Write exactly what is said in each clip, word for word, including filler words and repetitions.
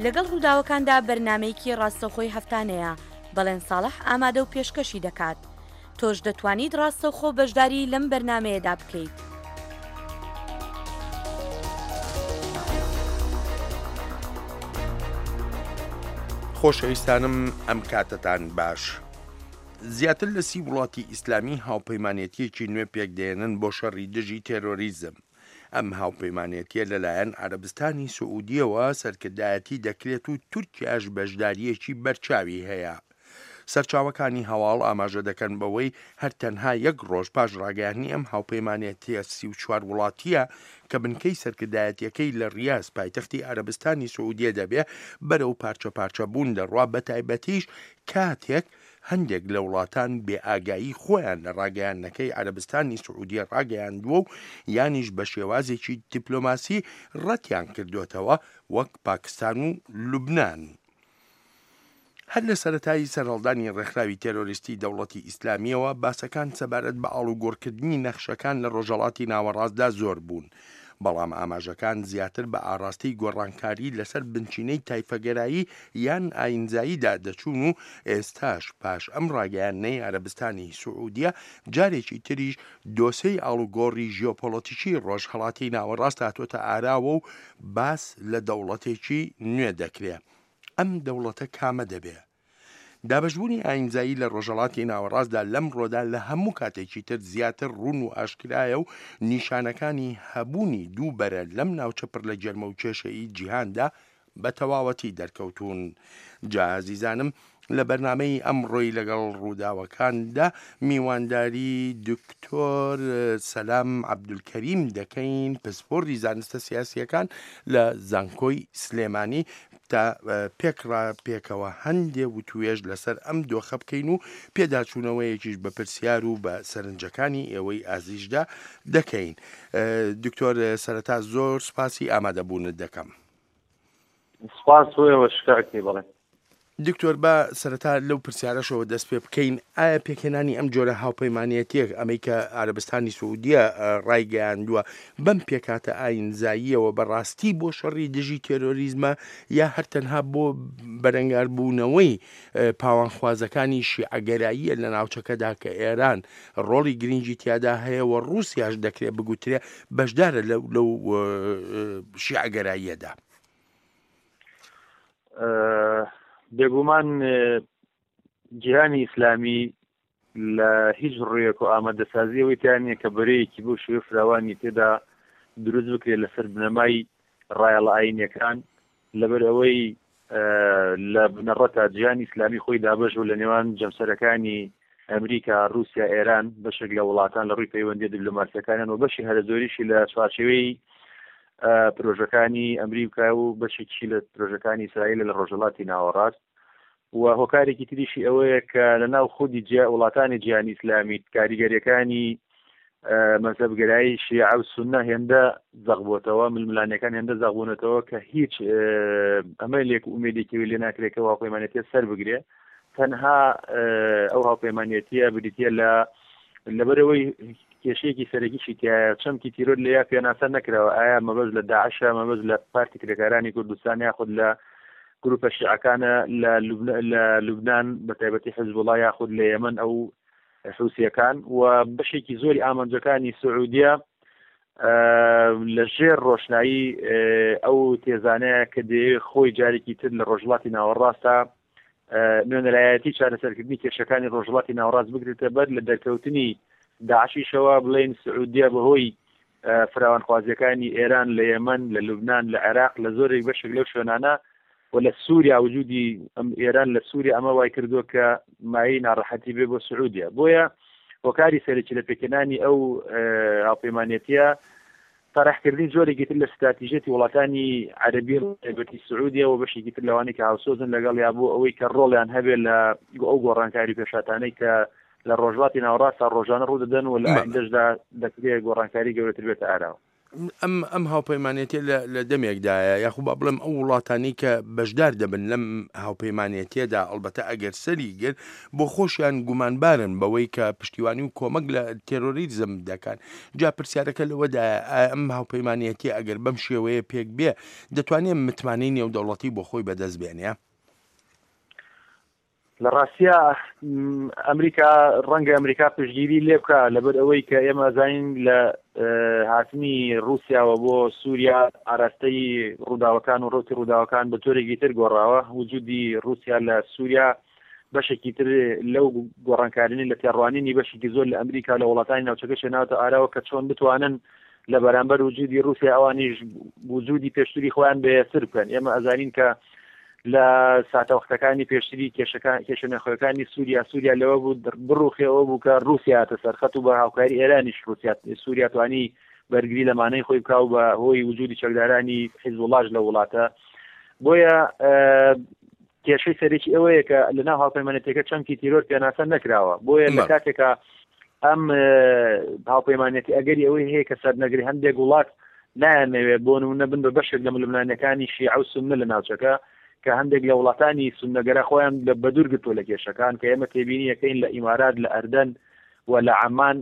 لەگەڵ ڕووداوەکاندا بەرنامەیەکی ڕاستەوخۆی هەفتانەیە، بەڵێن ساڵح ئامادە و پێشکەشی دەکات. تۆش دەتوانیت ڕاستەوخۆ بەشداری لەم بەرنامەیەدا بکەیت. خۆشەویستانم ئەم کاتەتان باش. زیاتر لە سی وڵاتی ئیسلامی هاوپەیمانێتیەکی نوێ پێکدێنن بۆ شەڕی دژی تێرۆریزم. ئەم هاوپەیمانێتیە لەلایەن عەرەبستانی سعودیەوە سەرکردایەتی دەکرێت و تورکیاش بەشداریەکی بەرچاوی هەیە. سەرچاوەکانی هەواڵ ئاماژە دەکەن بەوەی هەر تەنها یەک ڕۆژ پاش ڕاگەیاندنی ئەم هاوپەیمانێتیە سی و چوار وڵاتیە کە بنکەی سەرکردایەتیەکەی لە ڕیاز پایتەختی عەرەبستانی سعودیە دەبێ بەرەو پارچە پارچە بوون دەڕوا، بەتایبەتیش کاتێک هەندێک لە وڵاتان بێئاگایی خۆیان لە ڕاگەیاندنەکەی عەرەبستانی سعودیە ڕاگەیاندووە و یانیش بە شێوازێکی دیپلۆماسی ڕەتیان کردوێتەوە وەک پاکستان و لوبناان. هەر لە سەرەتایی سەرهەڵدانی ڕێکخراوی تێرۆریستی دەوڵەتی ئیسلامیەوە باسەکان سەبارەت بە ئاڵوگۆڕکردنی نەخشەکان لە ڕۆژهەڵاتی ناوەڕاستدا زۆر بوون، بەڵام ئاماژەکان زیاتر بە ئاراستەی گۆڕانکاری لەسەر بنچینەی تایفەگەرایی یان ئاینزاییدا دەچوون و ئێستاش پاش ئەم ڕاگەیاندنەی عەرەبستانی سعودیە جارێکی تریش دۆسێی ئاڵوگۆڕی ژیۆپۆلەتیکی ڕۆژهەڵاتی ناوەڕاست هاتۆتە ئاراوە و باس لە دەوڵەتێکی نوێ دەکرێ. ئەم دەوڵەتە کامە دەبێ؟ دابەشبوونی ئاینزایی لە ڕۆژهەڵاتی ناوەڕاستدا لەم ڕۆدا لە هەموو کاتێکی تر زیاتر ڕوون و ئاشکرایە و نیشانەکانی هەبوونی دوو بەرە لەم ناوچە پڕ لە گەرمە و کێشەی جیهاندا بە تەواوەتی دەرکەوتون. جا ئازیزانم لە بەرنامەی ئەمڕۆی لەگەڵ ڕووداوەکاندا میوانداری دکتۆر سەلام عەبدولکەریم دەکەین، پسپۆڕی زانستە سیاسیەکان لە زانکۆی سلێمانی، تا پێکڕا پێکەوە هەندێ وتوێژ لەسەر ئەم دۆخە بکەین و پێداچوونەوەیەکیش بە پرسیار و بە سەرنجەکانی ئێوەی ئازیزدا دەکەین. دکتۆر سەرەتا زۆر سوپاسی ئامادەبوونت دەکەم. سپاس بۆ ئێوە شکاکی بەڵێ. دکتۆر با سەرەتا لەو پرسیارەشەوە دەست پێ بکەین، ئایا پێکهێنانی ئەم جۆرە هاوپەیمانێتیەک ئەمەی کە عەرەبستانی سعودیە ڕایگەیاندووە بەم پێکهاتە ئاینزاییەوە بەڕاستی بۆ شەڕی دژی تێرۆریزمە یا هەر تەنها بۆ بەرەنگاربوونەوەی پاوانخوازەکانی شیعەگەراییە لە ناوچەکەدا کە ئێران ڕۆڵی گرنگی تیادا هەیە و ڕووسیاش دەکرێت بگوترێ بەشدارە لەو شیعەگەراییەدا؟ بێگومان جیهانی ئیسلامی لە هیچ ڕوویەک و ئامادەسازیەوەی تیا نییە کە بەرەیەکی بۆ شێوە فراوانی تێدا دروست بکرێت لەسەر بنەمای ڕایەڵە ئاینیەکان، لەبەر ئەوەی لە بنەڕەتا جیهانی ئیسلامی خۆی دابەش بوو لە نێوان جەمسەرەکانی ئەمریکا، رووسیا، ئێران، بەشێک لە وڵاتان لە ڕووی پەیوەندیە دیپلۆماسیەکانیان و بەشی هەرە زۆریشی لە چوارچێوەی پرۆژەکانی ئەمریکا و بەشێکی لە پرۆژەکانی ئیسرائیل لە ڕۆژهەڵاتی ناوەڕاست. و هۆکارێکی تریشی ئەوەیە کە لە ناو خودی وڵاتانی جیهانی ئیسلامی کاریگەریەکانی مەزهەبگەرایی شیعە و سوننە هێندە زەق بووەتەوە، ململانەکان هێندە زەق بوونەتەوە کە هیچ ئەمەلێک و ئومێدێکی لێ ناکرێت کە هاوپەیمانێتیە سەر بگرێ. تەنها ئەو هاوپەیمانێتیە بریتیە لە لەبەرەوەی کێشەیەکی سەرەکیشی تایە، چەمکی تیرۆر لەیا پێناسە نەکراوە. ئایا مەبەست لە داعشە، مەبەست لە پارتی کرێکارانی کوردستان یاخود لە گروپە شیعەکانە لە لوبناان بە تایبەتی حزبوڵا یاخود لە یەمەن ئەو حوسیەکان. و بەشێکی زۆری ئامانجەکانی سعودیە لە ژێر ڕۆشنایی ئەو تێزانەیە کە دەیەوێت خۆی جارێکی تر لە ڕۆژهەڵاتی ناوەڕاستە نوێنەرایەتی چارەسەرکردنی کێشەکانی ڕۆژهەڵاتی ناوەڕاست بگرێتە بەر. لە دەرکەوتنی داعشیشەوە بڵێن سعودیە بەهۆی فراوانخوازیەکانی ئێران لە یەمەن، لە لوبناان، لە عێراق، لە زۆرێک بەشێک لەو شوێنانە و لە سووریا، وجودی ئێران لە سووریا ئەمە وای کردووە کە مایەی ناڕەحەتی بێ بۆ سعودیە. بۆیە هۆکاری سەرەکی لە پێکهێنانی ئەو هاوپەیمانێتیە طرحکردنی جۆرێکی تر لە استراتیژیەتی وڵاتانی عەرەبی تایبەتی سعودیە و بەشێکی تر لەوانەی کە هاوسۆزن لەگەڵ یا بۆ ئەوەی کە ڕۆڵیان هەبێت لە ئەو گۆڕانکاری پێشاتانەی کە لە ڕۆژهەڵاتی ناوەڕاستە ڕۆژانە ڕوو دەدەن و لە ئایندەشدا دەکرێت گۆڕانکاری گەورەتر بێتە ئاراوە. ئەم ئەم هاوپەیمانێتیە لە دەمێکدایە، یاخو با بڵێم ئەو وڵاتانی کە بەشدار دەبن لەم هاوپەیمانێتیەدا، ئەڵبەتە ئەگەر سەری گرت، بۆ خۆشیان گومانبارن بەوەی کە پشتیوانی و کۆمەک لە تێرۆریزم دەکەن. جا پرسیارەکە لەوەدایە ئایا ئەم هاوپەیمانێتیە ئەگەر بەم شێوەیە پێک بێ دەتوانێت متمانەی نێودەوڵەتی بۆ خۆی بەدەست بێنێ؟ لە ڕاستیا ئەمریکا ڕەنگە ئەمریکا پشتگیری لێ بکە، لەبەر ئەوەی کە ئێمە زانین لە هاتنی ڕووسیاوە بۆ سووریا ئاراستەی ڕووداوەکان و ڕوتی ڕووداوەکان بە جۆرێکی تر گۆڕاوە. وجودی ڕووسیا لە سووریا بەشێکی تر لەو گۆڕانکارینی لە تێڕوانینی بەشێکی زۆر لە ئەمریکا لە وڵاتانی ناوچەکە شێناوەتە ئاراوە کە چۆن بتوانن لە بەرامبەر وجودی ڕووسیا ئەوانیش وجودی پێشتری خۆیان بەهێزتر بکەن. ئێمە ئەزانین کە لە ساتەوەختەکانی پێشتری کێشە ناوخۆیەکانی سووریا سووریا لەوە بوو بڕوخێەوە بوو کە ڕووسیا هاتە سەرخەت و بە هاوکاری ئێرانیش ڕووسیا سووریا توانی بەرگری لەمانەی خۆی بکا و بە هۆی وجودی چەکدارانی حیزبوڵڵاش لە وڵاتە. بۆیە کێشەی سەرەکی ئەوەیە کە لەناو هاوپەیمانێتیەکە چەمکی تیرۆر پێناسە نەکراوە. بۆیە لە کاتێکە ئەم هاوپەیمانێتی ئەگەری ئەوەی هەیە کە سەرنەگری هەندێک وڵات نایانەوێت بۆ نمونە بن بە بەشێک لە ململانێکانی شیعە و سوننە لە ناوچەکە، کە هەندێک لە وڵاتانی سوننەگەرا خۆیان لە بەدوور گرتووە لە کێشەکان، کە ئێمە تێبینیەکەین لە ئیمارات، لە ئەردەن و لە عەمان،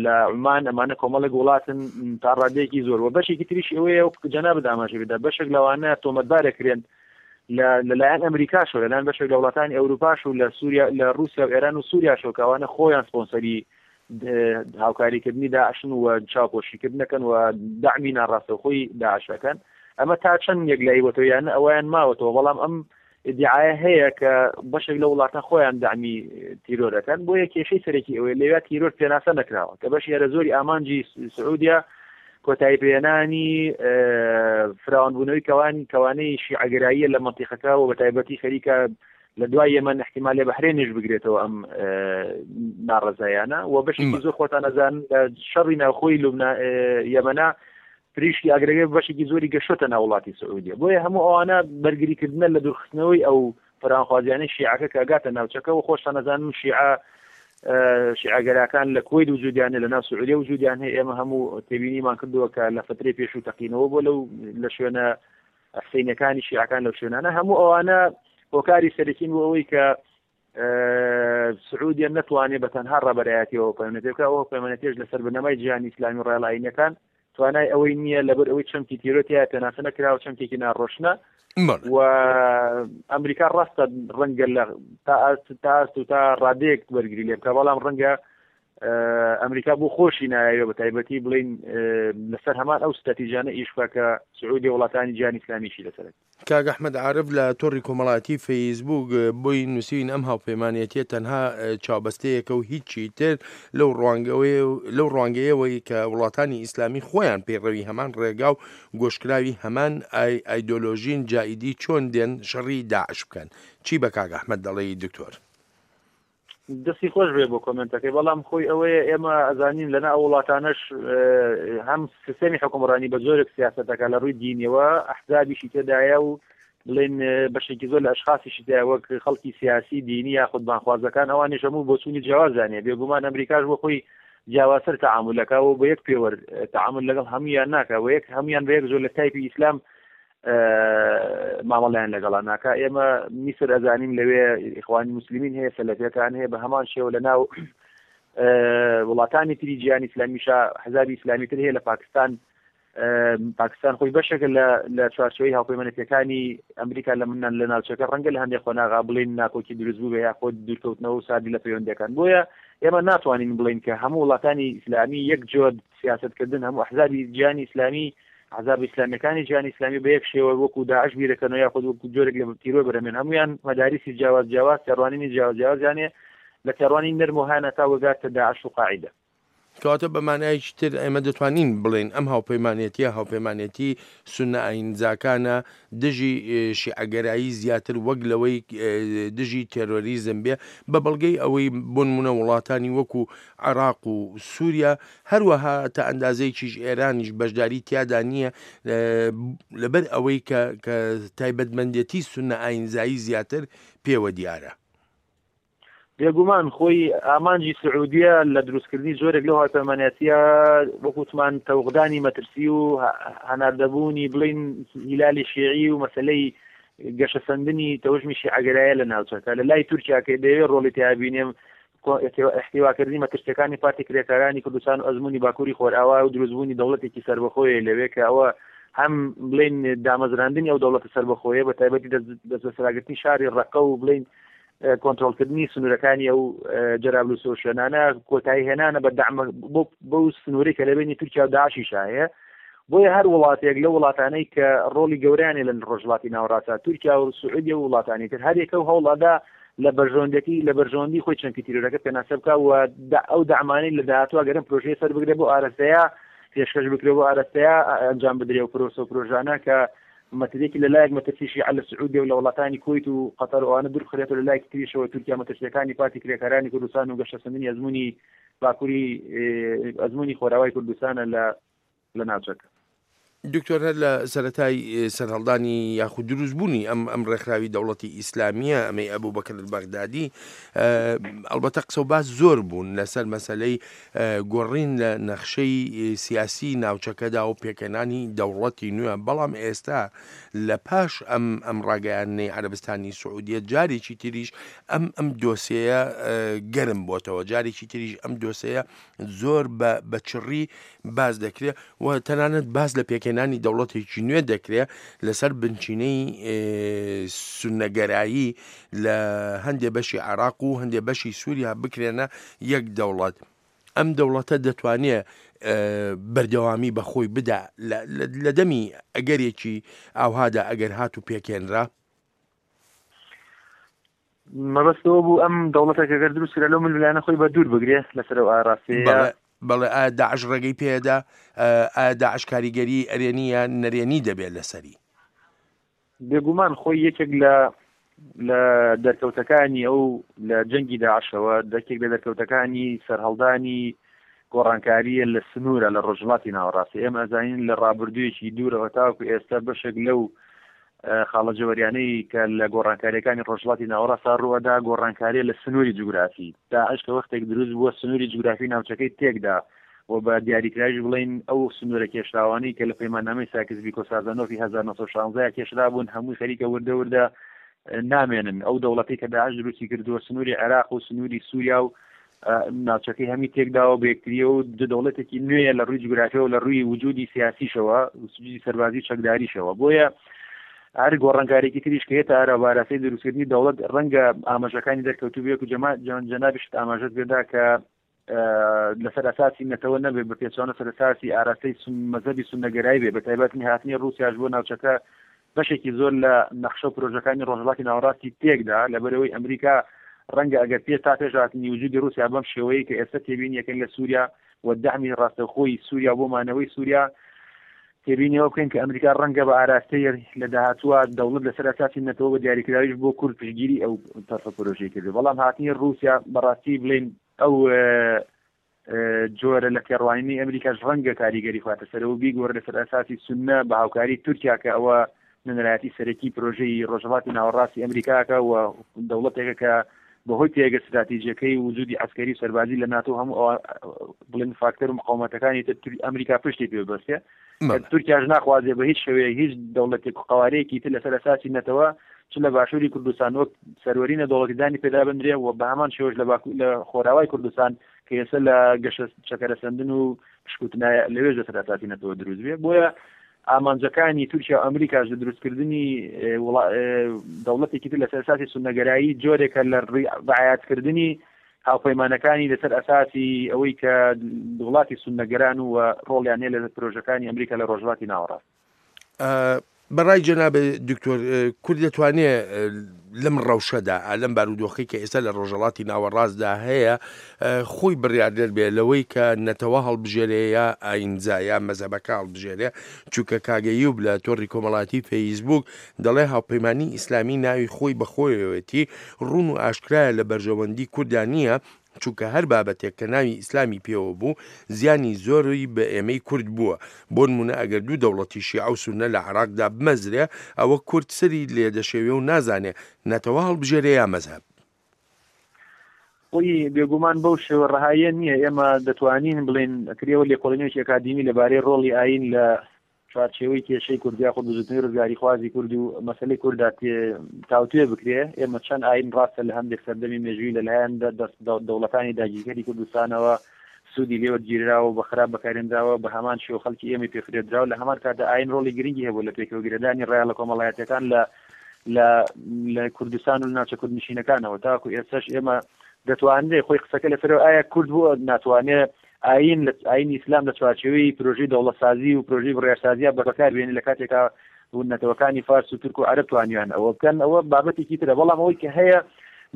لە عومان، ئەمانە کۆمەڵێک وڵاتن تا ڕادەیەکی زۆر. و بەشێکی تریش ئەوەیە وەک جەنابت ئاماژە بدا، بەشێک لەوانە تۆمەتبارەکرێن لەلایەن ئەمریکاشەوە، لەلایەن بەشێک لە وڵاتانی ئەوروپاش و لە سووریا، لە ڕووسیا و ئێران و سووریاشەوە، کە ئەوانە خۆیان سپۆنسەری هاوکاریکردنی داعشن و چاوپۆشیکردنەکەن و دەعمی ناڕاستەوخۆی داعشەکەن. ئەمە تا چەند یەکلایی بۆتەوە یان ئەویان ماوەتەوە، بەڵام ئەم ئیدعایە هەیە کە بەشێک لە وڵاتان خۆیان دەعمی تیرۆرەکەن. بۆیە کێشەی سەرەکی ئەوەیە لەویا تیرۆر پێناسە نەکراوە، کە بەشی هەرە زۆری ئامانجی سعودیا کۆتایی پێهێنانی فراوانبوونەوەی کەوانی کەوانەی شیعەگەراییە لە مەنتیقەکە و بە تایبەتی خەریکە لە دوای یەمەن احتیمالێ بەحرێنیش بگرێتەوە ئەم ناڕەزایانە. و بەشێکی زۆر خۆتان ئەزانن لە شەڕی ناوخۆی لوبنا یەمەنا پریشکی ئاگرەکە بەشێکی زۆری گەشتە ناو وڵاتی سعودیە. بۆیە هەموو ئەوانە بەرگریکردنە لە دوورخستنەوەی ئەو فراوانخوازیانەی شیعەکە کە ئەگاتە ناوچەکە. و خۆشتان ئەزانن شیعە شیعەگەراکان لە کوەیت وجودیان هەیە، لە ناو سعودیە وجودیان هەیە. ئێمە هەموو تێبینیمان کردووە کە لە فترەی پێشوو تەقینەوە بۆ لەو لە شوێنە حسینەکانی شیعەکان لەو شوێنانە. هەموو ئەوانە هۆکاری سەرەکین بۆ ئەوەی کە سعودیە نەتوانێت بە تەنها ڕابەرایەتیەوە پەیوەندی بکات. ئەو پەیوەندیش لەسەر بنەمای جیهانی ئیسلامی و ڕێڵاینەکان توانای ئەوەی نییە، لەبەر ئەوەی چەمکی تیرۆر تیا پێناسە نەکراوە، چەمکێکی ناڕۆشنە. و ئەمریکا ڕاستە ڕەنگە لە تا ئاست و تا ڕادەیەک بەرگری لێ بکە، بەڵام ڕەنگە ئەمریکا بۆ خۆشی نایەوێ بە تایبەتی بڵین لەسەر هەمان ئەو ستراتیژانە ئیش بکە کە سعودی وڵاتانی جیهانی ئیسلامیشی لەسەر. کاک ئەحمەد عارف لە تۆڕی کۆمەڵاتی فەیسبوک بۆی نووسین ئەم هاوپەیمانێتیە تەنها چاوبەستەیەکە و هیچی تر لەو لەو ڕوانگەیەوەی کە وڵاتانی ئیسلامی خۆیان پەیڕەوی هەمان ڕێگا و گۆشکراوی هەمان ئایدۆلۆژین، جائیدی چۆن دێن شەڕی داعش بکەن. چی بە کاک ئەحمەد دەڵێی دکتۆر؟ دەستی خۆش بێ بۆ کۆمنتەکەی، بەڵام خۆی ئەوەیە ئێمە ئەزانین لەنا ئەو وڵاتانەش هەم سیستەمی حکومڕانی بە جۆرێک سیاسەتەکە لە ڕووی دینیەوە ئەحزابیشی تێدایە و بڵێن بەشێکی زۆر لە ئەشخاصیشی تێدایە وەک خەڵکی سیاسی دینی یاخود بانخوازەکان، ئەوانیش هەموو بۆچوونی جیاوازیان هەیە. بێگومان ئەمریکاش بۆ خۆی جیاوازتر تەعامولەکە و بە یەک پێوەر تەعامول لەگەڵ هەمویان ناکە و یەک هەمویان بە یەک زۆر لە تایپی ئیسلام مامەڵیان لەگەڵا ناکە. ئێمە میسر ئەزانین لەوێ ئیخوانی موسلمین هەیە، سەلەفیەکان هەیە، بە هەمان شێوە لە ناو وڵاتانی تری جیهانی ئیسلامیشا حزابی ئیسلامی تر هەیە. لە پاکستان پاکستان خۆی بەشێکە لە چوارچێوەی هاوپەیمانێتیەکانی ئەمریکا لە منان لە ناوچەکە، ڕەنگە لە هەندێک قۆناغا بڵێن ناکۆکی دروست بوو بێ یاخود دوورکەوتنەوە و ساردی لە پەیوەندیەکان. بۆیە ئێمە ناتوانین بڵێین کە هەموو وڵاتانی ئیسلامی یەک جۆر سیاسەتکردن، هەموو ئەحزابی جیهانی ئیسلامی ئەحزاب ئیسلامیەکانی جیهانی ئیسلامی بە یەک شێوە وەکو داعش بیرەکەنەوە یاخود وەکو جۆرێک لە تیرۆر بەرەمێن. هەمویان مەداریسی جیاواز جیاواز، تێڕوانینی جیاواز جیاوازیان هەیە لە تێڕوانین نەرم و هانە تا وەگاتە داعش و قاعیدە. کەواتە بە مانایەکی تر ئێمە دەتوانین بڵێن ئەم هاوپەیمانێتیە هاوپەیمانێتی سوننە ئاینزاکانە دژی شیعەگەرایی زیاتر وەک لەوەی دژی تێرۆریزم بێ، بە بەڵگەی ئەوەی بۆ نمونە وڵاتانی وەکو عێراق و سووریا، هەروەها تا ئەندازەیەکیش ئێرانیش بەشداری تیادا نییە، لەبەر ئەوەی کە تایبەتمەندێتی سوننە ئاینزایی زیاتر پێوە دیارە. بێگومان خۆی ئامانجی سعودیە لە دروستکردنی جۆرێک لەو هاوپەیمانەتیە وەکوتمان تەوقدانی مەترسی و هەناردەبوونی بڵین هیلالی شیعی و مەسلەی گەشەسەندنی تەوژمی شیعەگەرایە لە ناوچەکە. لە لای تورکیا کە دەیەوێت ڕۆڵی تیا بینێم احتیواکردنی مەترسیەکانی پارتی کرێکارانی کوردستان و ئەزمموی باکووری خۆرئاوا و دروستبوونی دەوڵەتێکی سەربەخۆیە لەوێ کە ئەوە هەم بڵین دامەزراندنی ئەو دەوڵەتە سەربەخۆیە بە تایبەتی دەستبەسەراگرتنی شاری ڕەقە و بڵین کۆنترۆڵکردنی سنوورەکانی ئەو جەرابلوس و شوێنانە کۆتایی هێنانە بە دەعمە بەو سنووری کە لە بینی تورکیا و داعشیشا هەیە. بۆیە هەر وڵاتێک لە وڵاتانەی کە ڕۆڵی گەورەیان لە ڕۆژهەڵاتی ناوەڕاستە، تورکیا و سعودیە و وڵاتانی تر، هەر یەکە و هەوڵەدا لە بەرژەوەندیەکەی لە بەرژەوەندی خۆی چەمکی تیرۆرەکە پێناسە بکا و ئەو دەعمانەی لە داهاتووە گەرم پرۆژەیە سەر بگرێ بۆ ئارەستەیە پێشکەش بکرێ بۆ ئارەستەیە ئەنجام بدرێ و پرۆسە و پرۆژانە کە مەترسیەکی لە لایەک مەترسی شیعە لە سعودیە و لە وڵاتانی کوەیت و قەتەر و ئەوانە دوور بخرێتەوە، لە لایەکی تریشەوە تورکیا مەترسیەکانی پارتی کرێکارانی کوردستان و گەشەسەندنی ئەزمموی باکووری ئەزمموی خۆراوای کوردستانە لە لە ناوچەکە. دکتۆر، هەر لە سەرەتای سەرهەڵدانی یاخود دروستبوونی ئەم ئەم ڕێکخراوی دەوڵەتی ئیسلامیە، ئەمەی ئەبوو بەکر بەغدادی، ئەلبەتە قسە و باس زۆر بوون لەسەر مەسلەی گۆڕین لە نەخشەی سیاسی ناوچەکەدا و پێکەنانی دەوڵەتی نوێ. بەڵام ئێستا لە پاش ئەم ئەم ڕاگەیاندنەی عەرەبستانی سعودیە جارێکی تریش ئەم ئەم دۆسیەیە گەرم بۆتەوە، جارێکی تریش ئەم دۆسیەیە زۆر بە چڕی باس دەکرێت و تەنانەت باس لە پێکهێنانی دەوڵەتێکی نوێ دەکرێت لەسەر بنچینەی سوننەگەرایی لە هەندێ بەشی عێراق و هەندێ بەشی سووریا بکرێنە یەک دەوڵەت. ئەم دەوڵەتە دەتوانێت بەردەوامی بەخۆی بدا لە دەمی ئەگەرێکی ئاوهادا ئەگەر هات و پێکهێنرا؟ مەبەستەوە بوو ئەم دەوڵەتێک ئەگەر دروست کرا لەو ململانە خۆی بە دوور بگرێت لەسەر ئەو ئاراستەیە. بەڵێ، ئایا داعش ڕێگەی پێدا؟ ئایا داعش کاریگەری ئەرێنی یان نەرێنی دەبێت لەسەری؟ بێگومان خۆی یەکێک لە لە دەرکەوتەکانی ئەو لە جەنگی داعشەوە، دەکێک لە دەرکەوتەکانی سەرهەڵدانی گۆڕانکاریە لە سنوورە لە ڕۆژهەڵاتی ناوەڕاستی. ئێمە ئەزانین لە ڕابردوویەکی دوورەوە تاوەکو ئێستا بەشێک لەو خاڵە جەوەریانەی کە لە گۆڕانکاریەکانی ڕۆژهەڵاتی ناوەڕاستدا ڕووەدا گۆڕانکاریە لە سنووری جوگرافی. داعش کە وەختێک دروست بووە سنووری جوگرافی ناوچەکەی تێکدا و بە دیاریکراویش بڵین ئەو سنوورە کێشراوانەی کە لە پەیماننامەی ساکس بیکۆ سازانۆفی هەزار و نۆ سەد و شانزە کێشرا بوون هەمووی خەریکە وردە وردە نامێنن. ئەو دەوڵەتی کە داعش دروستی کردووە سنووری عێراق و سنووری سووریا و ناوچەکەی هەمی تێکداوە بە یەکتریەوە و دەوڵەتێکی نوێیە لە ڕووی جوگرافیەوە لە ڕووی وجودی سیاسیشەوە وجودی سەربازی چەکداریشەوە. بۆیە هەر گۆڕانکارێکی تریش کە هێتە ئارا باراستەی دروستکردنی دەوڵەت ڕەنگە ئاماژەکانی دەرکەوتوو بێت و جەنابیشت ئاماژەت پێدا کە لەسەر ئەساسی نەتەوە نەبێ، بە پێچەوانە سەر ئەساسی ئاراستەی مەزهەبی سوننەگەرایی بێ. بە تایبەتی هاتنی ڕووسیاش بۆ ناوچەکە بەشێکی زۆر لە نەخشە و پرۆژەکانی ڕۆژهەڵاتی ناوەڕاستی تێکدا، لەبەرەوەی ئەمریکا ڕەنگە ئەگەر پێ تا پێش هاتنی وجودی ڕووسیا بەم شێوەیە کە ئێستا تێبینیەکەن لە سووریا و دەعمی ڕاستەوخۆی سووریا بۆ مانەوەی سووریا، تێبینیەوە بکەین کە ئەمریکا ڕەنگە بە ئاراستەی لە داهاتووە دەوڵەت لەسەر ئەساسی نەتەوە بە دیاریکراویش بۆ کورد پشتگیری ئەو تەرحە پرۆژەی کردو. بەڵام هاتنی ڕووسیا بەڕاستی بڵین ئەو جۆرە لە تێڕوانینی ئەمریکاش ڕەنگە کاریگەری خواتە سەرەوە بیگۆڕ لەسەر ئەساسی سوننە بە هاوکاری تورکیا کە ئەوە نوێنەرایەتی سەرەکی پرۆژەی ڕۆژهەڵاتی ناوەڕاستی ئەمریکاکە و دەوڵەتێکە کە بەهۆی پێگە استراتیژیەکەی وجودی عەسکەری و سەربازی لە ناتۆ هەموو ئەوە بڵێن فاکتەر و مقاومەتەکانی تر ئەمریکا پشتی پێ ببەستێ. تورکیاش ناخوازێ بە هیچ شێوەیەک هیچ دەوڵەتێک و قەوارەیەکی تر لەسەر ئەساسی نەتەوە چ لە باشووری کوردستان وەک سەروەری نەدەوڵەتیدانی پێدا بندرێ و بە هەمان شێوەش لە لە خۆراوای کوردستان کە ئێستا لە گەشە چەکەرەسەندن و پشکوتنایە لەوێش لەسەر ئەساسی نەتەوە دروست بێ. بۆیە ئامانجەکانی تورکیا و ئەمریکاش لە دروستکردنی دەوڵەتێکی تر لەسەر ئەساسی سوننەگەرایی جۆرێکە لە ڕعایەتکردنی هاوپەیمانەکانی لەسەر ئەساسی ئەوەی کە وڵاتی سوننەگەران و ڕۆڵیان هەیە لە پرۆژەکانی ئەمریکا لە ڕۆژهەڵاتی ناوەڕاست. بەڕای جەناب دکتۆر، کورد دەتوانێت لەم ڕەوشەدا، لەم بارودۆخی کە ئێستا لە ڕۆژهەڵاتی ناوەڕاستدا هەیە، خۆی بڕیاردەر بێ لەوەی کە نەتەوە هەڵبژێرێ یا ئاینزا یا مەزهەبەکە هەڵبژێرێ؟ چونکە کاگەیوب لە تۆڕی کۆمەڵاتی فەیسبوک دەڵێ هاوپەیمانی ئیسلامی ناوی خۆی بەخۆیەوەتی ڕوون و ئاشکرایە لە بەرژەوەندی کووردا نییە، چونکە هەر بابەتێک کە ناوی ئیسلامی پێوە بوو زیانی زۆری بە ئێمەی کورد بووە. بۆ نمونە ئەگەر دوو دەوڵەتی شیعە و سوننە لە عێراقدا بمەزرێ ئەوە کورد سەری لێدەشێوێ و نازانێ نەتەوە هەڵبژێرێ یا مەزهەب. خۆی بێگومان بەو شێوە ڕەهاییە نییە. ئێمە دەتوانین بڵێن کرێەوە لێکۆڵینەوەیەکی ئەکادیمی لەبارەی ڕۆڵی ئاین لە چوارچێوەی کێشەی کوردی یاخود بزوتنەوەی ڕزگاریخوازی کورد و مەسلەی کورددا تاوتوێ بکرێ. ئێمە چەند ئاین ڕاستە لە هەندێک سەردەمی مێژووی لەلایەن دەوڵەتانی داگیرکەری کوردستانەوە سوودی لێوەرگیراوە و بە خراپ بەکارێنراوە، بە هەمان شێوە خەڵکی ئێمەی پێفرێدراوە. لە هەمان کاتدا ئاین ڕۆڵی گرنگی هەبوو لە پێکەوەگرێدانی ڕایەڵە کۆمەڵایەتیەکان لە لە کوردستان و ناوچە کوردنشینەکانەوە. تاکو ئێستاش ئێمە دەتوانرێت خۆی قسەکە لەسەرەوە ئایا کورد بووە ناتوانێت ئاین لە ئاینی ئیسلام لە چوارچێوەی پرۆژەی دەوڵەتسازی و پرۆژەی بڕیارسازیە بەکار بێنێ لە کاتێکا نەتەوەکانی فارس و تورک و عەرەب توانیان ئەوە بکەن، ئەوە بابەتێکی ترە. بەڵام ئەوەی کە هەیە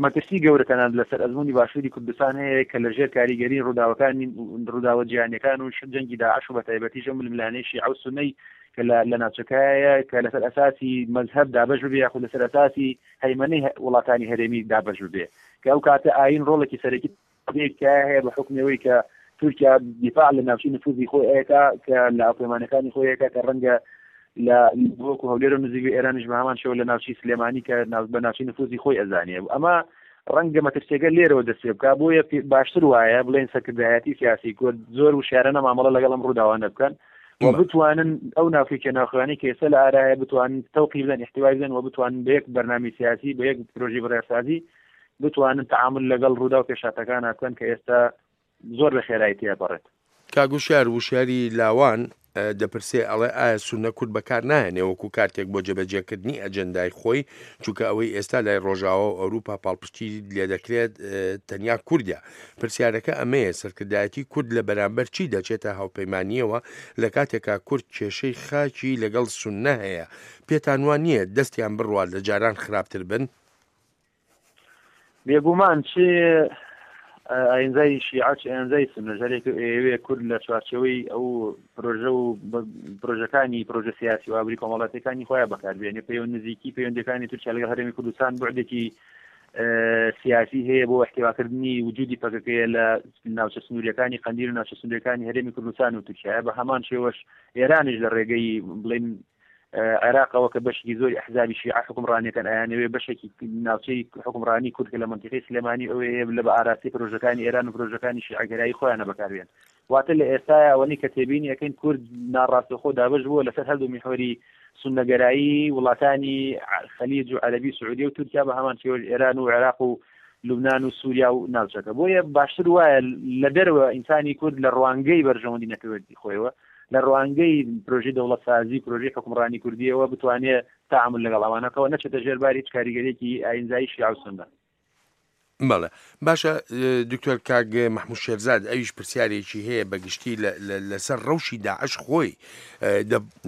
مەترسی گەورە تەنانەت لەسەر ئەزمموی باشووری کوردستان هەیە کە لەژێر کاریگەری ڕووداوەکانی ڕووداوە جیهانیەکان و جەنگی داعش و بەتایبەتیش ئەو ململانێی شیعە و سوننەی کە لە ناوچەکایە کە لەسەر ئەساسی مەزهەب دابەش ببێ یاخود لەسەر ئەساسی هەیمەنەی وڵاتانی هەرێمی دابەش ببێ، کە ئەو کاتە ئاین ڕۆڵێکی سەرەکی هەیە بە حوکمی کە تورکیا دیفاع لە ناوچەی نفوذی خۆی ئەیەکا کە لە هاوپەیمانەکانی خۆی ئەیەکا کە ڕەنگە لە وەکو هەولێر و نزیک ئێرانیش بە هەمان شێوە لە ناوچەی سلێمانی کە بە ناوچەی نفوذی خۆی ئەزانێ. ئەمە ڕەنگە مەترسیەکە لێرەوە دەست پێ بکا. بۆیە باشتر وایە بڵێن سەرکردایەتی سیاسی کورد زۆر وشیارانە مامەڵە لەگەڵ ئەم ڕووداوانە بکەن و بتوانن ئەو ناوکێکە ناوخوانەی کە ئێستا لە ئارایە بتوانن تەوقی بدەن، احتوای بدەن و بتوانن بە یەک بەرنامەی سیاسی، بە یەک پرۆژەی بڕیارسازی بتوانن تعامل لەگەڵ ڕوودا و پێشهاتەکانە بکەن کە ئێستا زۆر بە خێرایی تێپەڕێت. کاک وشیار، وشیاری لاوان دەپرسێ ئەڵێ ئایا سوننە کورد بەکار نایەنێ وەکو کارتێک بۆ جێبەجێکردنی ئەجەندای خۆی، چونکە ئەوەی ئێستا لای ڕۆژاوا و ئەوروپا پاڵپشتی لێدەکرێت تەنیا کوردە. پرسیارەکە ئەمەیە سەرکردایەتی کورد لە بەرامبەر چی دەچێتە هاوپەیمانیەوە لە کاتێکا کورد کێشەی خاکی لەگەڵ سوننە هەیە؟ پێتان وان نییە دەستیان بڕوات لە جاران خراپتر بن؟ بێگومان چێ ئاینزای شیعە چ ئاینزای سوننە جارێک ئەیەوێ کورد لە چوارچێوەی ئەو پرۆژە و پرۆژەکانی پرۆژە سیاسی و ئابووری کۆمەڵاتیەکانی خۆیان بەکاربێنێ. پەیوەند نزیکی پەیوەندەکانی تورکیا لەگەڵ هەرێمی کوردستان بوعدێکی سیاسی هەیە بۆ احتواکردنی وجودی پەکەکەیە لە ناوچە سنووریەکانی قەندیل و ناوچە سنووریەکانی هەرێمی کوردستان و تورکیا. بە هەمان شێوەش ئێرانیش لە ڕێگەی بڵێن عێراقەوە کە بەشێکی زۆری ئەحزابی شیعە حکومڕانیەکان ئەیانەوێ بەشێکی ناوچەی حکومڕانی کورد کە لە منتیقەی سلێمانی ئەوەیە لە بە ئاراستەی پرۆژەکانی ئێران و پرۆژەکانی شیعەگەرایی خۆیانە بەکاربێن. واتە لە ئێستایا ئەوەنەی کە تێبینی ئەەکەین کورد ناڕاستەوخۆ دابەش بووە لەسەر هەردوو میحوەری سوننەگەرایی وڵاتانی خەلیج و عەرەبی سعودیە و تورکیا بە هەمان شێوە ئێران و عێراق و لوبناان و سووریا و ناوچەکە. بۆیە باشتر وایە لە دەرەوە ئینسانی کورد لە ڕوانگەی بەرژەوەندی نەتەوەیی خۆیەوە، لە ڕوانگەی پرۆژەی دەوڵەتسازی، پرۆژەی حکومڕانی کوردیەوە بتوانێت تعامل لەگەڵ ئەوانەکەەوە نەچێتە ژێرباری هیچ کاریگەریەکی ئاینزایی شیعە و سوننە. بەڵێ باشە دکتۆر کاک مەحموود شێرزاد ئەویش پرسیارێکی هەیە بەگشتی لەسەر ڕەوشی داعش خۆی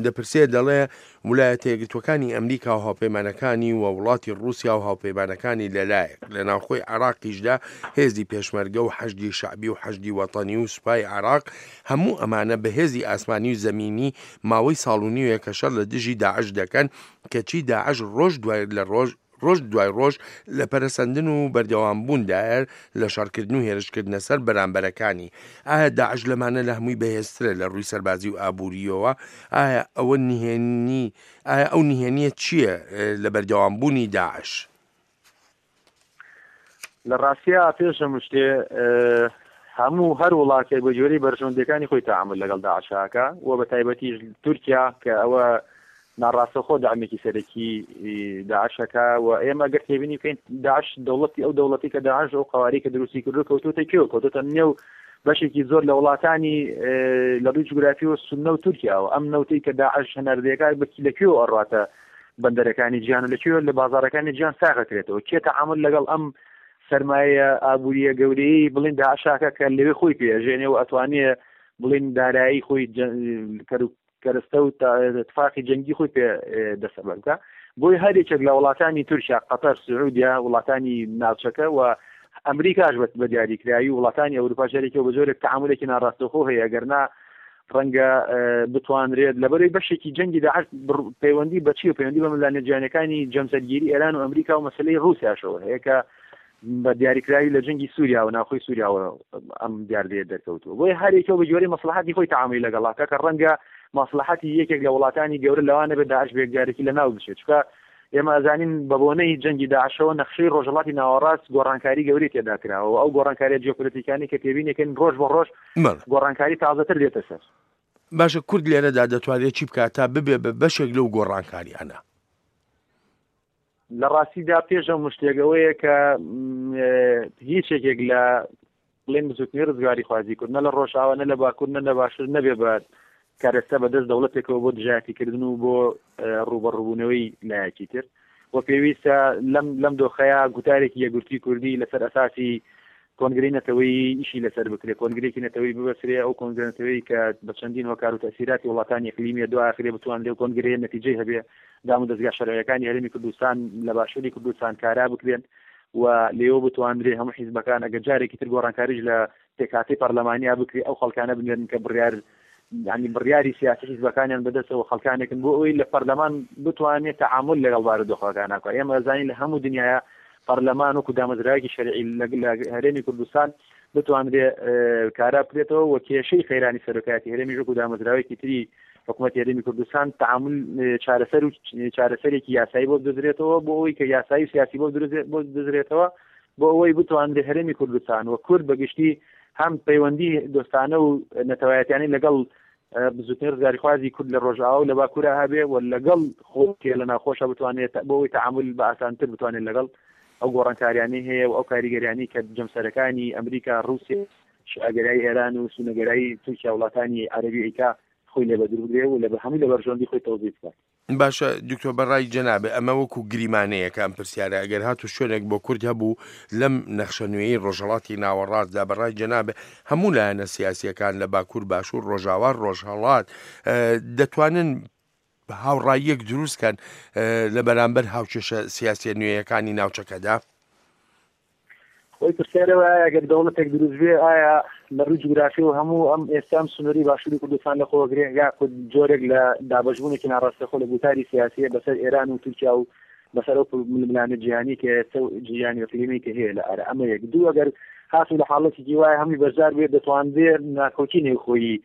دەپرسێ، دەڵێ ولایەتە یەکگرتووەکانی ئەمریکا و هاوپەیمانەکانی و وڵاتی ڕووسیا و هاوپەیمانەکانی لەلایەک، لە ناوخۆی عێراقیشدا هێزی پێشمەرگە و حەشدی شەعبی و حەشدی وەتەنی و سوپای عێراق، هەموو ئەمانە بە هێزی ئاسمانی و زەمینی ماوەی ساڵ و نیوێکە شەڕ لە دژی داعش دەکەن، کەچی داعش ڕۆژ دوای لە ڕۆژ ڕۆژ دوای ڕۆژ لە پەرەسەندن و بەردەوام بووندایە لە شەڕکردن و هێرشکردنە سەر بەرامبەرەکانی. ئایا داعش لەمانە لە هەمووی بەهێزترە لە ڕووی سەربازی و ئابووریەوە؟ ئایا ئەوە نهێنی ئایا ئەو نهێنیە چییە لە بەردەوام بوونی داعش؟ لە ڕاستیا پێش هەموو شتێ هەموو هەر وڵاتێک بە جۆرەی بەرژەوەندیەکانی خۆی تەعامل لەگەڵ داعشاکە و بە تایبەتیش تورکیا کە ئەوە ناڕاستەخۆ داعمێکی سەرەکی داعشەکە. و ئێمە ئەگەر تێبینی بکەین داعش دەوڵەتی ئەو دەوڵەتی کە داعش ئەو قواری کە دروستی کردو کەوتوتە کوێ، کەوتوتە نێو بەشێکی زۆر لە وڵاتانی لە ڕووی جوگرافی و سوننە و تورکیاوە. ئەم نەوتەی کە داعش هەناردەیەکە لە کوێوە ئەڕواتە بەندەرەکانی جیهان و لە کوێوە لە بازارەکانی جیهان ساغەکرێتەوە؟ کێ تەعامل لەگەڵ ئەم سەرمایە ئابووریە گەورەیی بڵین داعشاکە کە لەوێ خۆی پێژێنێ و ئەتوانێ بڵین دارایی خۆی کەرەستە و تفاقی جەنگی خۆی پێ دەسەبەر بکە؟ بۆی هەر یەکێک لە وڵاتانی تورکیا، قەتەر، سعودیا، وڵاتانی ناوچەکە و ئەمریکاش بە دیاریکراوی وڵاتانی ئەوروپا جارێکەوە بە جۆرێک تەعاملێکی ناڕاستەوخۆ هەیە، ئەگەرنا ڕەنگە بتوانرێت لەبەرەی بەشێکی جەنگی داعش پەیوەندی بەچی و پەیوەندی بە ململانێ جیهانیەکانی جەمسەرگیری ئێران و ئەمریکا و مەسلەی ڕووسیاشەوە هەیە کە بە دیاریکراوی لە جەنگی سووریا و ناوخۆی سووریاوە ئەم دیاردەیە دەرکەوتووە. بۆیە هەر یەکەوە بە جۆرەی مەسڵەحەتی خۆی تەعاملی لەگەڵاکە کە ڕەنگە مەسڵەحەتی یەکێک لە وڵاتانی گەورە لەوانە بێت داعش بێکجارێکی لە ناو بچێت، چونکە ئێمە ئەزانین بە بۆنەی جەنگی داعشەوە نەخشەی ڕۆژهەڵاتی ناوەڕاست گۆڕانکاری گەورەی تێدا کراوە و ئەو گۆڕانکاریە جیۆپۆلیتیکانی کە تێبینیەکەن ڕۆژ بە ڕۆژ گۆڕانکاری تازەتر دێتە سەر. باشە، کورد لێرەدا دەتوانێت چی بکات تا ببێ بە بەشێک لەو گۆڕانکاریانە؟ لە ڕاستیدا پێش ئەو مشتێکەوەیە کە هیچ یەکێک لە بڵێن بزوتنەوەی ڕزگاریخوازی کورد نە لە ڕۆژئاوا نە لە باکوور نە لە باشوور نەبێ بە کارەستا بەدەست دەوڵەتێکەوە بۆ دژایەتیکردن و بۆ ڕووبەڕووبوونەوەی لایەکی تر و پێویستە لەم لەم دۆخەیە گوتارێکی یەکگرتووی کوردی لەسەر ئەساسی کۆنگرەی نەتەوەیی ئیشی لەسەر بکرێ، کۆنگرێکی نەتەوەیی ببەسرێ، ئەو کۆنگرە نەتەوەیی کە بە چەندین هۆکار و تەئسیراتی وڵاتانی ئیقلیمیە دوا ئاخرێ بتوانرێ و کۆنگرەیە نەتیجەی هەبێ، دام و دەزگا شەرعیەکانی هەرێمی کوردستان لە باشووری کوردستان کارا بکرێن و لێوە بتوانرێ هەموو حیزبەکان ئەگەر جارێکی تر گۆڕانکاریش لە پێکهاتەی پەرلەمانیا بکرێ ئەو خەڵکانە بنێرن کە بڕیار یعنی بڕیاری سیاسی حیزبەکانیان بەدەستەوە خەڵکانێکن بۆ ئەوەی لە پەرلەمان بتوانێت تەعامل لەگەڵ بارودۆخەکان بکات. ئێمە ئەزانین لە هەموو دنیاە پەرلەمان وەکو دامەزراوێکی شەرعی لە هەرێمی کوردستان بتوانرێ کارا بکرێتەوە و کێشەی قەیرانی سەرۆکایەتی هەرێمیش وەکو دامەزراوێکی تری حکوومەتی هەرێمی کوردستان تعامل چارەسەر و چارەسەرێکی یاسایی بۆ بدۆزرێتەوە بۆ ئەوەی کە یاسایی و سیاسی بۆ بۆ بدۆزرێتەوە بۆ ئەوەی بتوانرێ هەرێمی کوردستان و کورد بەگشتی هەم پەیوەندی دۆستانە و نەتەوایەتیانی لەگەڵ بزوتنەوەی ڕزگاریخوازی کورد لە ڕۆژئاوا و لە باکوورا هەبێ و لەگەڵ خۆی لە ناوخۆشە بتوانێت بۆ ئەوەی تەعامل بە ئاسانتر بتوانێت لەگەڵ ئەو گۆڕانکاریانەی هەیە و ئەو کاریگەریانەی کە جەمسەرەکانی ئەمریکا، ڕووسیا، شیعەگەرایی ئێران و سوننەگەرایی تورکیا وڵاتانی عەرەبی ئەیکا خۆی لێ بەدوور بگرێ و لە هەمووی لە بەرژەوەندی خۆی تەوزیف بکات. باشە دکتۆر، بەڕای جەنابێ ئەمە وەکو گریمانەیەکە ئەم پرسیارە، ئەگەر هاتو شوێنێک بۆ کورد هەبوو لەم نەخشە نوێی ڕۆژهەڵاتی ناوەڕاستدا، بەڕای جەنابێ هەموو لایەنە سیاسیەکان لە باکوور، باشوور، ڕۆژاوا، ڕۆژهەڵات دەتوانن هاوڕاییەک دروست کەن لە بەرامبەر هاوکێشە سیاسیە نوێیەکانی ناوچەکەدا؟ خۆی پرسیارەوە ئایا ئەگەر دەوڵەتێک دروست بێ ئایا لە ڕووی جوگرافی و هەموو ئەم ئێستا ئەم سنووری باشووری کوردستان لە خۆگرێ یاخود جۆرێک لە دابەشبوونێکی ناڕاستەخۆ لە گوتاری سیاسیە بەسەر ئێران و تورکیا و بەسەر ئەو ململانێ جیهانی کە ئێستا و جیهانی ئیقلیمی کە هەیە لە ئارا. ئەمە یەک. دوو، ئەگەر هاتوو لە حاڵەتێکی وایە هەمووی بەشدار بێت دەتوانرێ ناکۆکی نێوخۆیی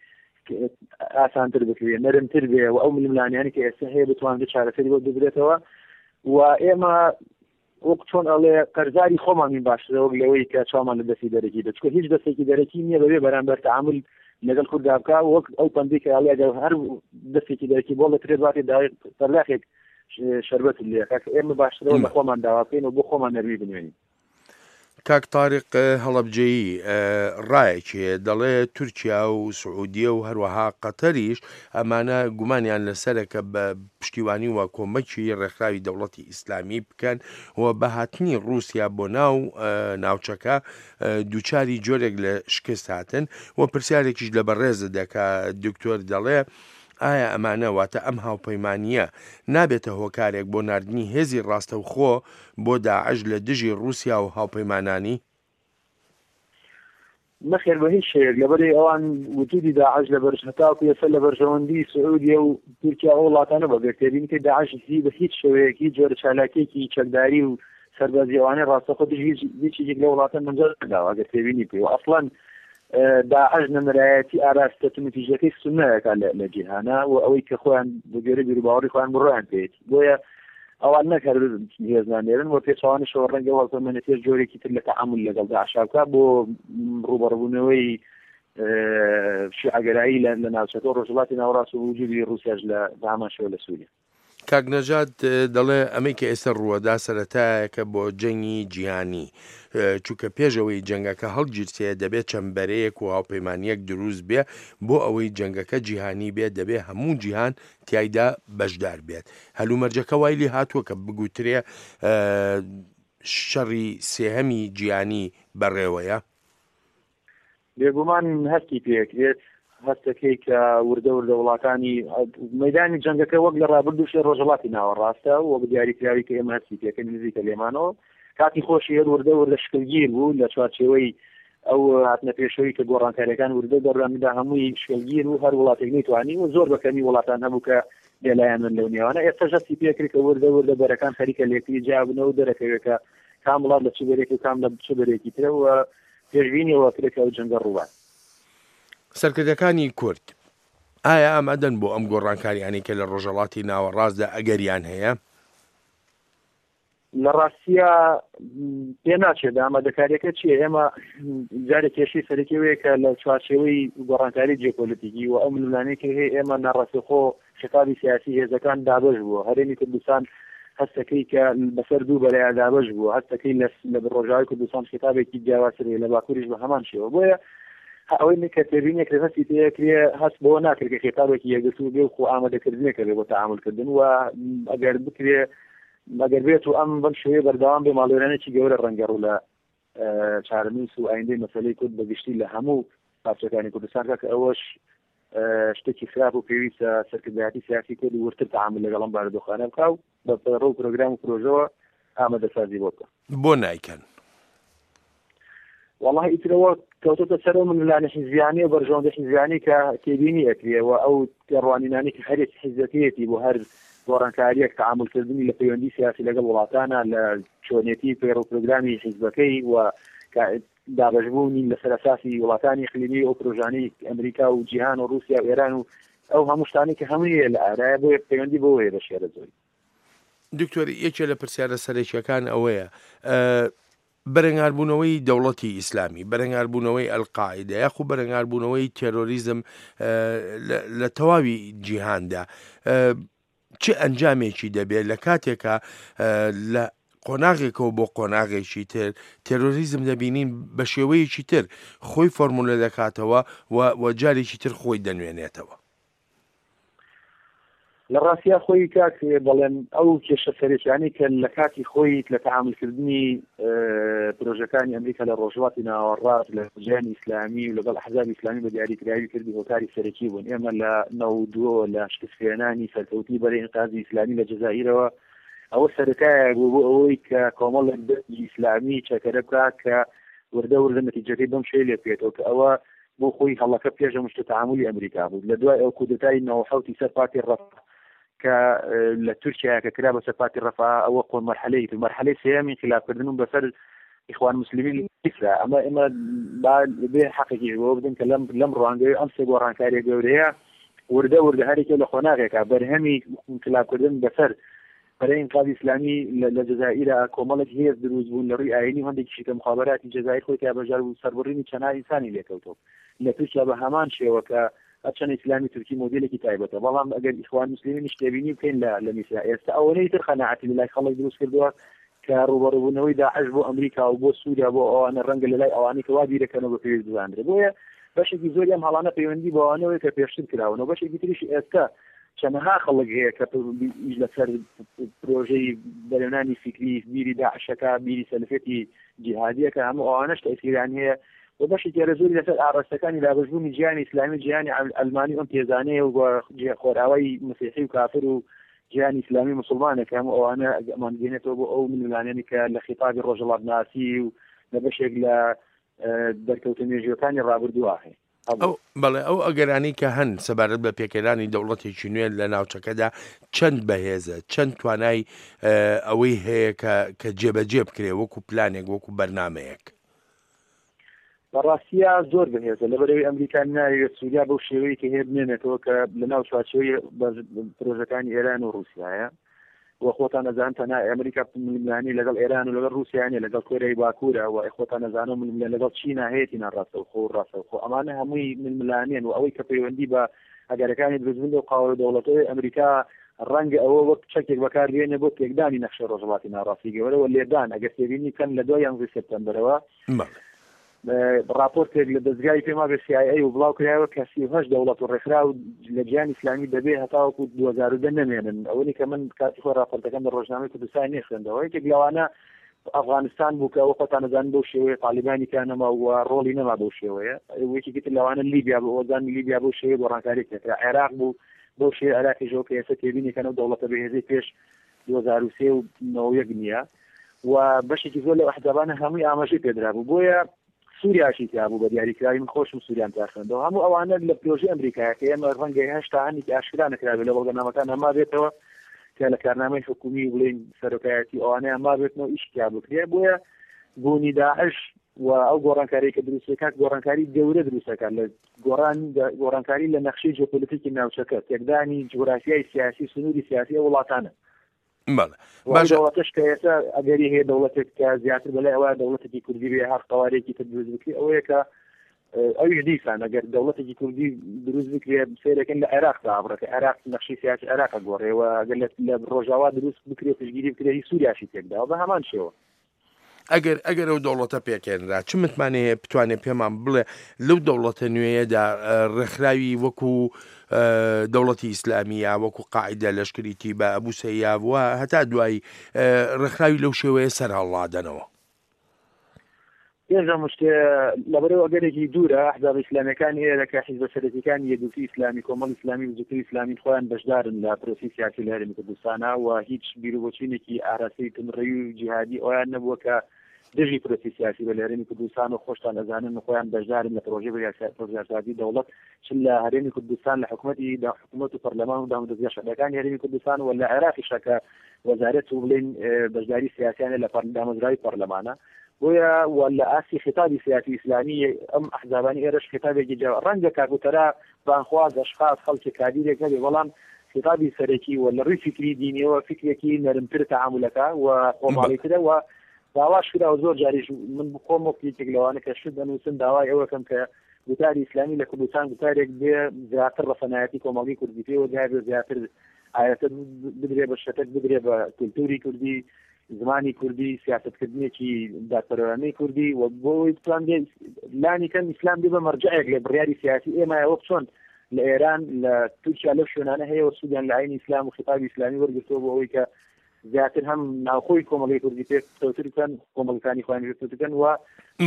ئاسانتر بکرێ، نەرمتر بێ و ئەو ململانیانی کە ئێستا هەیە بتوانرێت چارەسەری بۆ بدرێتەوە و ئێمە وەک چۆن ئەڵێ قەرزاری خۆمانین باشترە وەک لەوەی کە چاومان لە دەستی دەرەکی بێت، چونکە هیچ دەستێکی دەرەکی نییە بەبێ بەرامبەر تەعامل لەگەڵ کورددا بکا، وەک ئەو پەندەی کە ئەڵێ ئەگەر هەر دەستێکی دەرەکی بۆ دەکرێت باتێ داوای پەرداخێک شەربەت لێ کە ئێمە باشترەوە لە خۆمان داوا بکەین و بۆ خۆمان نەرمی بنوێنین. کاک تاریق هەڵەبجەیی ڕایەکی هەیە دەڵێ تورکیا و سعودیە و هەروەها قەتەریش ئەمانە گومانیان لەسەرە کە بە پشتیوانی و کۆمەکی ڕێکخراوی دەوڵەتی ئیسلامی بکەن و بە هاتنی ڕووسیا بۆ ناو ناوچەکە دووچاری جۆرێک لە شکست هاتن و پرسیارێکیش لە بەڕێزت دەکا دکتۆر دەڵێ ئایا ئەمانە واتە ئەم هاوپەیمانییە نابێتە هۆکارێک بۆ ناردنی هێزی ڕاستەوخۆ بۆ داعش لە دژی ڕووسیا و هاوپەیمانانی؟ نەخێر بە هیچ شێوەیەک، لەبەرئەوەی ئەوان وجودی داعش لە بەرژ هەتاوەکو ئێستا لە بەرژەوەندی سعودیە و تورکیا و وڵاتانە بە گەر تێبینی کە داعش هی بە هیچ شێوەیەک هیچ جۆرە چالاکیەکی چەکداری و سەربازی ئەوانەی ڕاستەخۆ دژی هیچ هیچ یەکێک لە وڵاتان مەنجەر نەداوە ئەگەر تێبینی بکەی و ئەسڵەن داعش نەمرایەتی ئاراستە توندوتیژەکەی سوننەکە لە جیهانە و ئەوەی کە خۆیان بە گوێرەی بیروباوەڕی خۆیان بڕوایان پێیەتی، بۆیە ئەوان نەک هەر هێز نانێرن و پێچەوانەشەوە ڕەنگە ئەو هاوپەیمانێتیەش جۆرێکی تر لە تەعامول لەگەڵ داعشا بکا بۆ ڕووبەڕووبوونەوەی شیعەگەرایی لە ناوچەکە و ڕۆژهەڵاتی ناوەڕاست و وجودی ڕووسیاش لە بە هەمان شێوە لە سووریا. کاک نەژاد دەڵێ ئەمەی کە ئێستا ڕووەدا سەرەتایەکە بۆ جەنگی جیهانی، چونکە پێش ئەوەی جەنگەکە هەڵگیرسێ دەبێ چەند بەرەیەک و هاوپەیمانیەک دروست بێ، بۆ ئەوەی جەنگەکە جیهانی بێ دەبێ هەموو جیهان تیایدا بەشدار بێت. هەلومەرجەکە وای لێ هاتووە کە بگوترێ شەڕی سێهەمی جیهانی بەڕێوەیە. بێگومان هەستی پێکرێت، هەستەکەی کە وردە وردە وڵاتانی مەدانی جەنگەکە وەک لە ڕابردووش لە ڕۆژهەڵاتی ناوەڕاستە وەک دیاریکراوی کە ئێمە هەستی پێکەین نزیکە لێمانەوە، کاتی خۆشی هەر وردە وردە شکلگیر بوو لە چوارچێوەی ئەو هاتنە پێشەوەی کە گۆڕانکاریەکان وردە دەڕامدا هەمووی شکلگیر و هەر وڵاتێک نەیتوانی و زۆر بە کەمی وڵاتان هەبوو کە بێلایەن بن لەو نێوانە. ئێستا هەستی پێکرد کە وردە وردە بەرەکان خەریکە لێکتری جیابنەوە و دەرەکەوێت کە کام وڵات لە چ بەرێک و کام لە چ بەرێکی ترەوە پێشبینیەوە کرێت کە ئەو جەنگە ڕووبات. سەرکردەکانی کورد ئایا ئامادەن بۆ ئەم گۆڕانکاریانەی کە لە ڕۆژهەڵاتی ناوەڕاستدا ئەگەریان هەیە؟ لە ڕاستیە پێ ناچێت ئامادەکاریەکە چییە. ئێمە جارێک کێشەی سەرەکی وەیە کە لە چوارچێوەی گۆڕانکاری جیۆپۆلیتیکی و ئەو ململانێی کە هەیە ئێمە ناڕاستەوخۆ خیتابی سیاسی هێزەکان دابەش بووە. هەرێمی کوردستان هەستەکەی کە بەسەر دوو بەرەیە دابەش بووە، هەستەکەی لە ڕۆژاوای کوردستان خیتابێکی جیاوازتر هەیە، لە باکووریش بە هەمان شێوە. بۆیە ئەوەی کە تێبینێک لە هەستی پێکرێ هەست بەوە ناکرێت کە خیتابێکی یەکگرتوو بێ و خۆ ئامادەکردنێکە بێ بۆ تەعامولکردن و ئەگەر بکرێ ئەگەر بێت و ئەم بەم شێوەیە بەردەوام بێ ماڵوێرانێکی گەورە ڕەنگە ڕوو لە چارەنووس و ئایندەی مەسەلەی کورد بەگشتی لە هەموو پارچەکانی کوردستان کە ئەوەش شتێکی خراپ و پێویستە سەرکردایەتی سیاسی کورد وردتر تەعامول لەگەڵ ئەم بارودۆخانە بکا و بە پەیڕەو و پرۆگرام و پرۆژەوە ئامادەسازی بۆ بکە. بۆ نایکەن؟ والله ئیترەوە کەوتۆتە سەر ئەو ململانێ حیزبیانەی و بەرژەوەندی حیزبیانەی کە تێبینی ئەکرێ و ئەو تێڕوانینانەی کە هەرێک حیزبەکەیەتی بۆ هەر گۆڕانکاریەک تەعامولکردنی لە پەیوەندی سیاسی لەگەڵ وڵاتانە لە چۆنێتی پەیڕەو پرۆگرامی حیزبەکەی و دابەشبوونی لەسەر ئەساسی وڵاتانی ئیقلیمی ئەو پرۆژانەی ئەمریکا و جیهان و رووسیا و ئێران و ئەو هەموو شتانەی کە هەمووی لە ئارایە، بۆیە پەیوەندی بەوە هەیە بە شێرە زۆری. دکتۆر، یەکێ لە پرسیارە سەرەکیەکان ئەوەیە بەرەنگاربوونەوەی دەوڵەتی ئیسلامی، بەرەنگاربوونەوەی ئەلقاعیدە یاخو بەرەنگاربوونەوەی تێرۆریزم لە تەواوی جیهاندا چ ئەنجامێکی دەبێت لە کاتێکە لە قۆناغێکەوە بۆ قۆناغێکی تر تێرۆریزم دەبینین بە شێوەیەکی تر خۆی فۆرمولە دەکاتەوە و جارێکی تر خۆی دەنوێنێتەوە؟ لە ڕاستیا خۆی کاک بەڵێن ئەو کێشە سەرەکیانەی کە لە کاتی خۆی لە تەعامولکردنی پرۆژەکانی ئەمریکا لە ڕۆژهەڵاتی ناوەڕاست لە جیهانی ئیسلامی و لەگەڵ ئەحزابی ئیسلامی بە دیاریکراوی کردی هۆکاری سەرەکی بوون. ئێمە لە نەوەد و دووەوە لە شکستهێنانی سەرکەوتنی بەرەی ئینقاذی ئیسلامی لە جەزائیرەوە ئەوە سەرەتایە بوو بۆ ئەوەی کە کۆمەڵێک دەستی ئیسلامی چەکەرە بکا کە وردە وردە نەتیجەکەی بەم شێوەیە لێ بکەوێتەوە کە ئەوە بۆ خۆی هەڵەکە پێش ئەم شتە تەعامولی ئەمریکا بوو. لە دوای ئەو کودەتای نەوەد و حەوتی سەر پارتی ڕەفا کە لە تورکیا کە کرا بەسەر پارتی ڕەفا، ئەوە قۆن مەرحەلەی تر، مەرحەلەی سێیەم ئینقلابکردن و بەسەر ئیخوان مسلمین میسرا. ئەمە ئێمە با بێ حەقێکیش بەوە بدەن کە لەم لەم ڕوانگەی ئەم سێ گۆڕانکاریە گەورەیە وردە وردە هەرێکە لە قۆناغێکا بەرهەمی ئینقلابکردن بەسەر بەرەی ئینقلابی ئیسلامی لە جەزائیرا کۆمەڵێک هێز دروست بوون لە ڕووی ئایینی و هەندێکیشی کە مخابراتی جەزائیر خۆی تیا بەشدار بوو، سەربڕینی چەندان ئینسانی لێکەوتەوە. لە تورکیا بە هەمان شێوە کە هەرچەند ئیسلامی تورکی مۆدێلێکی تایبەتە، بەڵام ئەگەر ئیخوان مسلمینیش تێبینی بکەین لە لە میسرا ئێستا ئەوەنەی تر قەناعەتی لەلای خەڵک دروست کردووە کە ڕووبەڕووبوونەوەی داعش بۆ ئەمریکا و بۆ سووریا بۆ ئەوانە ڕەنگە لەلای ئەوانەی کە وا بیرەکەنەوە بە پێویست بزانرێ. بۆیە بەشێکی زۆری ئەم هەڵانە پەیوەندی بەوانەوەی کە پێشتر کراون و بەشێکی تریش ئێستا چەنەها خەڵک هەیە کە ئیش لەسەر پرۆژەی بەرێنانی فیکری بیری داعشەکە، بیری سەلەفیەتی جیهادیەکە، هەموو ئەوانەش تەئسیریان هەیە و بەشێکی هەرە زۆری لەسەر ئاراستەکانی دابەشبوونی جیهانی ئیسلامی، جیهانی ئەلمانی ئەم تێزانەیە و خۆراوای مەسیحی و کافر و جیهانی ئیسلامی مسلمانە کە هەموو ئەوانە ئەمانگەێنێتەوە بۆ ئەو ململانێنی کە لە خیتابی ڕۆژهەڵاتناسی و لە بەشێک لە دەرکەوتە مێژووەکانی ڕابردووە هەیە. ئەو بەڵێ ئەو ئەگەرانەی کە هەن سەبارەت بە پێکهێنانی دەوڵەتێکی نوێ لە ناوچەکەدا چەند بەهێزە، چەند توانای ئەوەی هەیە کە کە جێبەجێ بکرێ وەکو پلانێک، وەکو بەرنمەیەک؟ بەڕاستیە زۆر بەهێزە، لەبەرەوەی ئەمریکا ناوێت سووریا بەو شێوەیە کە هەیە بمێنێتەوە کە لەناو چوارچێوەی پرۆژەکانی ئێران و ڕووسیایە و خۆتان نەزان تەنها ئەمریکا ململانی لەگەڵ ئێران و لەگەڵ ڕووسیا نیە، لەگەڵ کۆریای باکوورە و خۆتان نەزانە ململانی لەگەڵ چینا هەیەتی ناڕاستەوخۆ و ڕاستەوخۆ. ئەمانە هەمووی ململانێن و ئەوەی کە پەیوەندی بە ئەگەرەکانی دروستبوون لەو قاوەرە دەوڵەتەوەی ئەمریکا ڕەنگە ئەوە وەک چەکێک بەکاربێنێ بۆ تێکدانی نەخشەی ڕۆژهەڵاتی ناوەڕاستی گەورە و لێدان. ئەگەر تێبینی بکەن لە دوای یانزەی سێپتەمبەرەوە راپۆرتێک لە دەزگای پێما بێ سی ئای ئەی و بڵاو کرایەوە کە سی و هەشت دەوڵەت و ڕێکخراو لە جیهانی ئیسلامی دەبێ هەتاوەکو دوو هەزار و دە نەمێنن. ئەوەی کە من کاتی خۆی راپۆرتەکەم لە ڕۆژنامەی کوردستان نەخوێندەوە، یەکێک لەوانە ئەفغانستان بوو کە ئەوە خۆتان دەزانن بەو شێوەیە تالیبانی کە نەما و ڕۆڵی نەما بەو شێوەیە. یەکێکی تر لەوانە لیبیا بوو، ئەوە زانن لیبیا بەو شێوەیە گۆڕانکاری تێکرا. عێراق بوو بەو شێوەیە، عێراقیشەوە کە ئێستا تێبینی کەن ئەو دەوڵەتە بەهێزەی پێش دوو هەزار و سێ و نەوە و یەک نییە و بەشێکی زۆر لەو ئەحزابانە هەمووی ئاماژەی پێدرابوو. بۆیە سووریاشی تیا بوو بە دیاریکراوی، من خۆشم سووریام تا خوێندەوە. هەموو ئەوانە لە پرۆژەی ئەمریکایە کە ئێمە ڕەنگە هێشتا هەندێکی ئاشکرا نەکرابێت لە بەڵگەنامەکان هەما بێتەوە کە لە کارنامەی حکومی و بڵێین سەرۆکایەتی ئەوانەیان مابێتنەوە ئیش تیا بکرێ. بۆیە بوونی داعش و ئەو گۆڕانکاری کە دروستەکات گۆڕانکاری گەورە دروستەکات لە گۆڕان گۆڕانکاری لە نەخشەی جیۆپۆلیتیکی ناوچەکە، تێکدانی جوگرافیای سیاسی، سنووری سیاسی ئەو وڵاتانە. بەڵێ باشە دەوڵەتش کە ئێستا ئەگەری هەیە دەوڵەتێک کە زیاتر بەلای ئەوە دەوڵەتێکی کوردی بێ هەر قەوارێکی تر دروست بکرێ، ئەوەیە کە ئەویش دیسان ئەگەر دەوڵەتێکی کوردی دروست بکرێ سەیرەکەن لە عێراق دابڕێت، عێراق نەخشەی سیاسی عێراق گۆڕێ و ئەگەر لە ڕۆژاوا دروست بکرێ پشتگیری بکرێ هی سووریاشی تێکداوە بە هەمان شێوە. ئەگەر ئەگەر ئەو دەوڵەتە پێکێنرا چ متمانەیە بتوانێت پێمان بڵێ لەو دەوڵەتە نوێیەدا ڕێکخراوی وەکو دەوڵەتی ئیسلامی یا وەکو قاعدە لەشکری تیبا ئەبوو سەیاف وە هەتا دوایی ڕێکخراوی لەو شێوەیە سەر هەڵڵادەنەوە؟ پێش هەموو شتێ لەبەرەوە ئەگەرێکی دوورە ئەحزاب ئیسلامیەکان ئێرە کە حیزبە سەرەکیەکانی یەکگرتووی ئیسلامی، کۆمەڵ ئیسلامی و بزووتنەوەی ئیسلامی خۆیان بەشدارن لە پرۆسەی سیاسی لە هەرێمی کوردستانە و هیچ بیرروبۆچوونێکی ئاراستەی توندڕەوی و جیهادی ئەویان نەبووە کە دژی پرۆسەی سیاسی بە لە هەرێمی کوردستان و خۆشتان ئەزانن و خۆیان بەشدارن لە پرۆژەی بڕیارسازی دەوڵەت چ لە هەرێمی کوردستان لە حکوومەتی دا حکوومەت و پەرلەمان و دامودەزگا شەرعیەکانی هەرێمی کوردستان و لە عێراقیشە کە وەزارەت و بڵێن بەشداری سیاسیانە لە دامەزراوی پەرلەمانە. بۆیە و لە ئاستی خطابی سیاسی ئیسلامی ئەم ئەحزابانی ئێرەش خطابێکی جیا ڕەنگە کاکوتەرا بانخواز ئەشخاص خەڵکی کادیرێک هەبێ، بەڵام خطابی سەرەکی و لە ڕووی فکری دینیەوە فکرێکی نەرمتر تەعامولەکە و خۆماڵیترە و داواش کراوە زۆر جاریش من خۆم وەک یەکێک لەوانە کە شت دەنووسم داوای ئەوەکەم کە گوتاری ئیسلامی لە کوردستان گوتارێک بێ زیاتر ڕەسەنایەتی کۆمەڵگەی کوردی پێوە دیار بێ، زیاتر ئایەتە بدرێ بە شەتەک بدرێ بە کولتوری کوردی، زمانی کوردی، سیاستکردنێکی دادپەروەرانەی کوردی و بۆ ئەوەی بتوانرێت لانی کەم ئیسلام بێ بە مەرجعێک لە بڕیاری سیاسی ئێمە، وەک چۆن لە ئێران لە تورکیا لەو شوێنانە هەیە و سوودیان لە ئایینی ئیسلام و خیتابی ئیسلامی وەرگرتووە بۆ ئەوەی کە زیاتر هەم ناوخۆی کۆمەڵگەی کوردی پێ پتەوتر بکەن، کۆمەڵەکانی خۆیان پێ پتەوتر بکەن و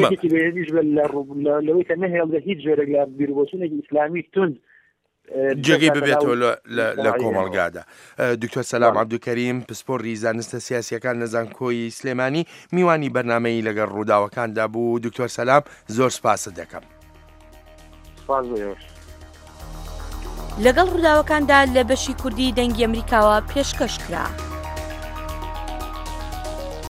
یەکێکی بەهێزیش بێت لەوەی کە نەهێڵدرێت هیچ جۆرێک لە بیروبۆچوونێکی ئیسلامی توند جێگەی ببێتەوە لە کۆمەڵگادا. دکتۆر سەلام عەبدولکەریم پسپۆڕی زانستە سیاسیەکان لە زانکۆی سلێمانی میوانی بەرنامەی لەگەڵ ڕووداوەکاندا بوو. دکتۆر سەلام زۆر سپاست دەکەم. سپاس بۆ ئێوەش. لەگەڵ ڕووداوەکاندا لە بەشی کوردی دەنگی ئەمریکاوە پێشکەش کرا.